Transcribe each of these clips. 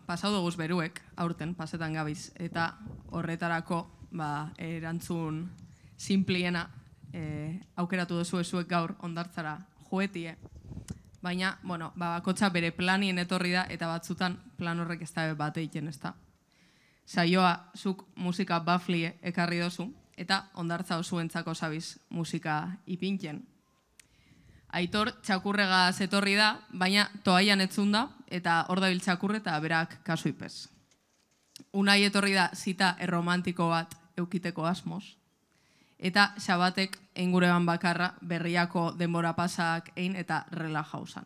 pasau duguz beruek, aurten, pasetan gabiz, eta horretarako, erantzun simpliena aukeratu duzu ezuek gaur ondartzara joetie, baina, bakotxa bere planien etorri da, eta batzutan plan horrek ez da bat egiten, ez da. Saioa, zuk musika bafli ekarri dozu, eta ondartza osuentzako zabiz musika ipintzen. Aitor txakurrega zetorri da, baina toaian etzun da, eta hor dabil txakurre eta berak kasu ipez. Unai etorri da zita erromantiko bat eukiteko asmoz, eta xabatek eingureban bakarra berriako denbora pasak egin eta relajausan.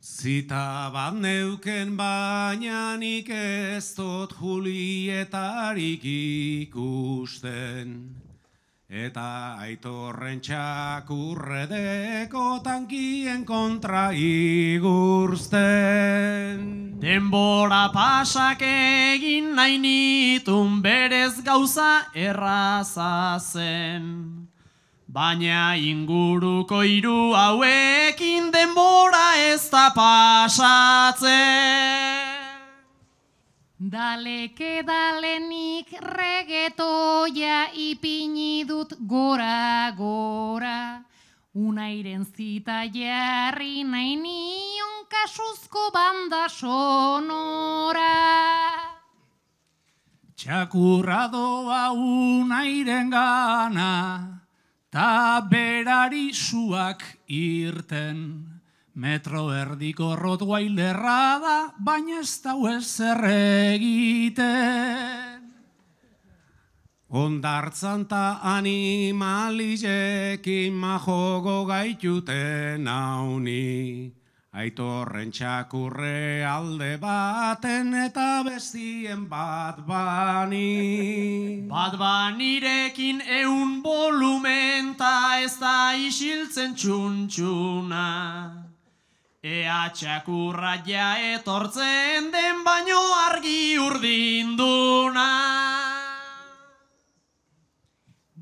Zita bat neuken baina nik ez dut Julietarik ikusten, eta Aitorren txakurredeko tankien kontra igursten. Denbora pasak egin nahi nitun berez gauza erraza zen, baina inguruko hiru hauekin denbora ez da pasatzen. Daleke dalenik regetoia ipini dut gora, Unairen zita jarri nahi nion kasuzko banda sonora. Txakurra doa Unairen gana, ta berari suak irten. Metro erdiko Rottweilerra da, baina ez dau ezer egiten. Ondartzan ta animalizekin majogo gaituten hauni, Aitorren txakurre alde baten eta bestien bat bani. Bat banirekin 100 volumen ta ez da isiltzen txuntxuna. Ea txakurra ja etortzen den baino argi urdinduna.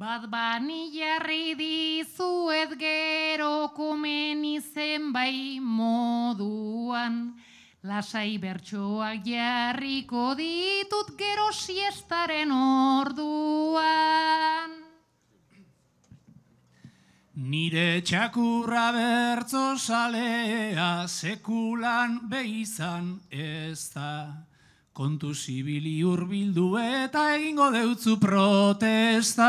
Bat bani jarri dizuet gero komeni zenbai moduan, lasai bertsoak jarriko ditut gero siestaren orduan. Nire txakurra bertso salea sekulan beizan ez da. Kontu zibili hurbildu eta egingo deutzu protesta.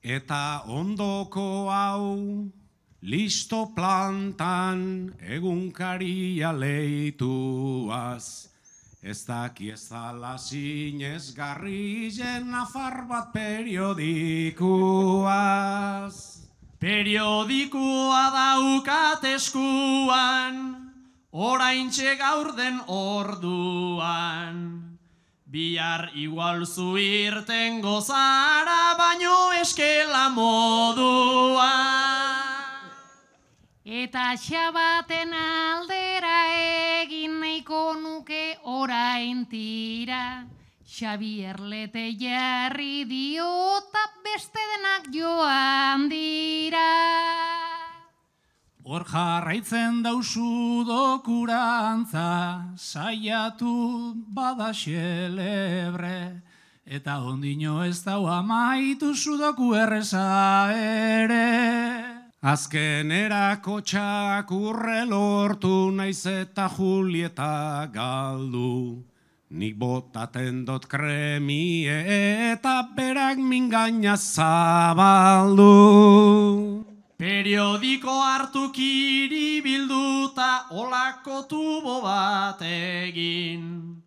Eta ondoko hau, listo plantan egunkaria leituaz. Ez daki ez dala zinezgarri nafar bat periodikuaz. Periodikoa daukat eskuan, oraintxe gaur den orduan. Bihar igual zu irten gozara, baino eskela moduan. Eta xabaten aldera egin nahiko nuke orain tira, Xabier Lete jarri diota beste denak joan dira. Hor jarraitzen dauzu dokurantza, saiatu bada xelebre, eta ondino ez dau amaitu sudoku erreza ere. Azkenerako txakurre lortu naiz eta Julieta galdu, nik botaten dot kremie eta berak mingaina zabaldu. Periodiko hartu kiribilduta olako tubo bat egin,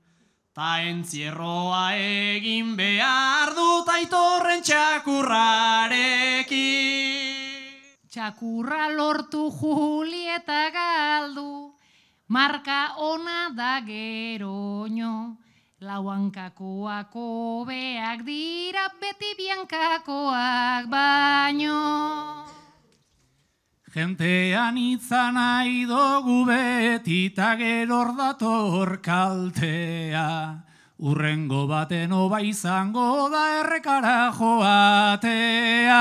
ta entzierroa egin behar dut Aitorren txakurrarekin. Txakurra lortu Julieta galdu, marka ona da geroño, lauankakoak hobeak dira beti biankakoak baino. Gentean itzan nahi dugu beti ta gero dator kaltea, urrengo baten oba izango da errekara joatea.